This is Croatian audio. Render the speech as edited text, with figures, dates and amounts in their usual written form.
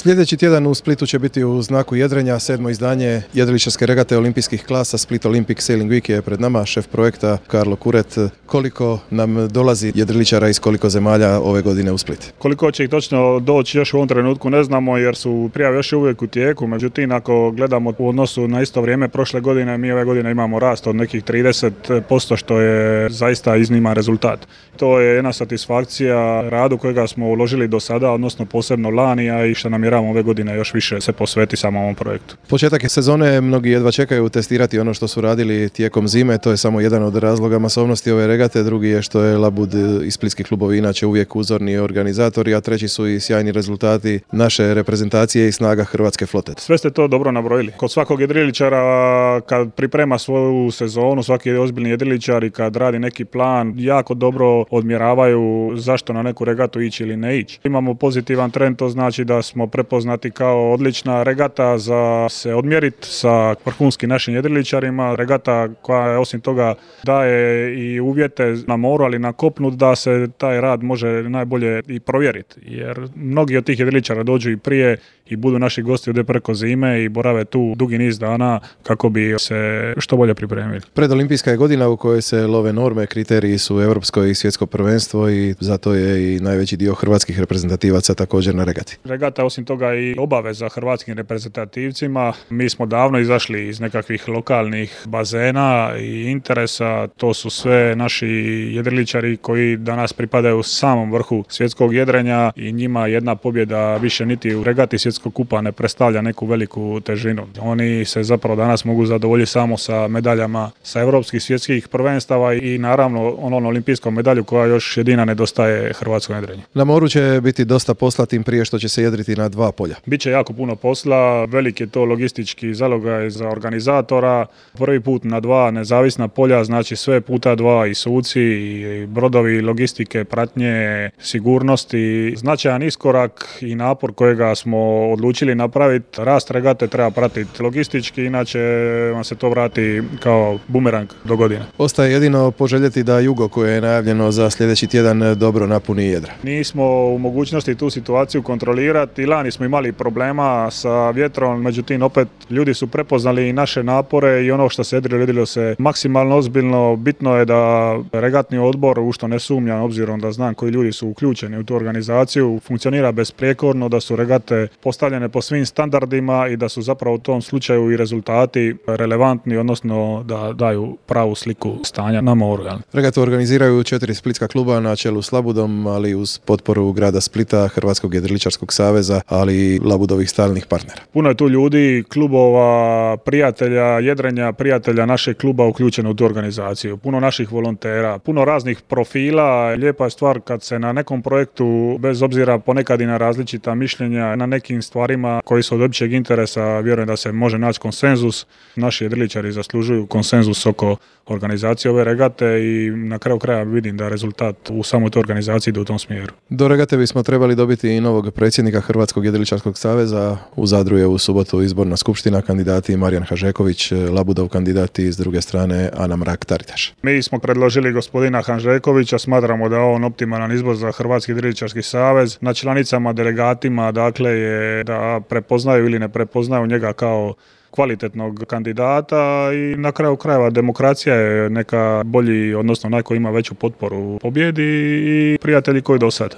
Sljedeći tjedan u Splitu će biti u znaku jedrenja 7. izdanje jedriličarske regate olimpijskih klasa. Split Olympic Sailing Week je pred nama, šef projekta Karlo Kuret. Koliko nam dolazi jedriličara iz koliko zemalja ove godine u Split? Koliko će ih točno doći još u ovom trenutku ne znamo jer su prijave još uvijek u tijeku. Međutim, ako gledamo u odnosu na isto vrijeme prošle godine, mi ove godine imamo rast od nekih 30%, što je zaista izniman rezultat. To je jedna satisfakcija radu kojega smo uložili do sada, odnosno posebno lani, a i što namjeravamo ove godine još više se posveti samom ovom projektu. Početak je sezone, mnogi jedva čekaju testirati ono što su radili tijekom zime, to je samo jedan od razloga masovnosti ove regate, drugi je što je Labud i splitski klubovi inače uvijek uzorni organizatori, a treći su i sjajni rezultati naše reprezentacije i snaga hrvatske flote. Sve ste to dobro nabrojili. Kod svakog jedriličara kad priprema svoju sezonu, svaki ozbiljni jedriličar i kad radi neki plan, jako dobro odmjeravaju zašto na neku regatu ići ili ne ići. Imamo pozitivan trend, to znači da smo prepoznati kao odlična regata za se odmjeriti sa vrhunskim našim jedriličarima. Regata koja osim toga daje i uvjete na moru, ali na kopnu da se taj rad može najbolje i provjeriti. Jer mnogi od tih jedriličara dođu i prije i budu naši gosti ovdje preko zime i borave tu dugi niz dana kako bi se što bolje pripremili. Predolimpijska je godina u kojoj se love norme, kriteriji su europsko i svjetsko prvenstvo i zato je i najveći dio hrvatskih reprezentativaca također na regati. Regata osim toga i obaveza hrvatskim reprezentativcima. Mi smo davno izašli iz nekakvih lokalnih bazena i interesa. To su sve naši jedriličari koji danas pripadaju samom vrhu svjetskog jedrenja i njima jedna pobjeda više niti u regati svjetskog kupa ne predstavlja neku veliku težinu. Oni se zapravo danas mogu zadovoljiti samo sa medaljama sa europskih svjetskih prvenstava i naravno onom olimpijskom medalju koja još jedina nedostaje hrvatskom jedrenju. Na moru će biti dosta posla tim prije što će se jedriti na 2 polja. Biće jako puno posla, velik je to logistički zalogaj za organizatora. Prvi put na 2 nezavisna polja, znači sve puta 2 i suci i brodovi, logistike, pratnje, sigurnosti. Značajan iskorak i napor kojega smo odlučili napraviti. Rast regate treba pratiti logistički, inače vam se to vrati kao bumerang do godine. Ostaje jedino poželjeti da jugo koje je najavljeno za sljedeći tjedan dobro napuni jedra. Nismo u mogućnosti tu situaciju kontrolirati. Lani smo imali problema sa vjetrom, međutim opet ljudi su prepoznali i naše napore i ono što se jedrilo se maksimalno ozbiljno. Bitno je da regatni odbor, u što ne sumnjam obzirom da znam koji ljudi su uključeni u tu organizaciju, funkcionira besprijekorno, da su regate postavljene po svim standardima i da su zapravo u tom slučaju i rezultati relevantni, odnosno da daju pravu sliku stanja na moru. Regatu organiziraju 4 splitska kluba na čelu s Labudom, ali uz potporu grada Splita, Hrvatskog jedriličarskog saveza, ali i Labudovih stalnih partnera. Puno je tu ljudi, klubova, prijatelja jedrenja, prijatelja našeg kluba uključeno u tu organizaciju. Puno naših volontera, puno raznih profila. Lijepa je stvar kad se na nekom projektu, bez obzira ponekad i na različita mišljenja, na nekim stvarima koji su od općeg interesa, vjerujem da se može naći konsenzus. Naši jedriličari zaslužuju konsenzus oko organizacije ove regate i na kraju kraja vidim da rezultat u samoj toj organizaciji ide u tom smjeru. Do regate bismo trebali dobiti i novog predsjednika Hrvatskog jedriličarskog saveza. U Zadru je u subotu izborna skupština, kandidati Marijan Hanžeković, Labudov kandidat i s druge strane Ana Mrak-Taritaš. Mi smo predložili gospodina Hanžekovića, smatramo da je on optimalan izbor za Hrvatski jedriličarski savez. Na članicama, delegatima, dakle, je da prepoznaju ili ne prepoznaju njega kao kvalitetnog kandidata i na kraju krajeva demokracija je neka bolji, odnosno onaj koji ima veću potporu u pobjedi i prijatelji koji do sad.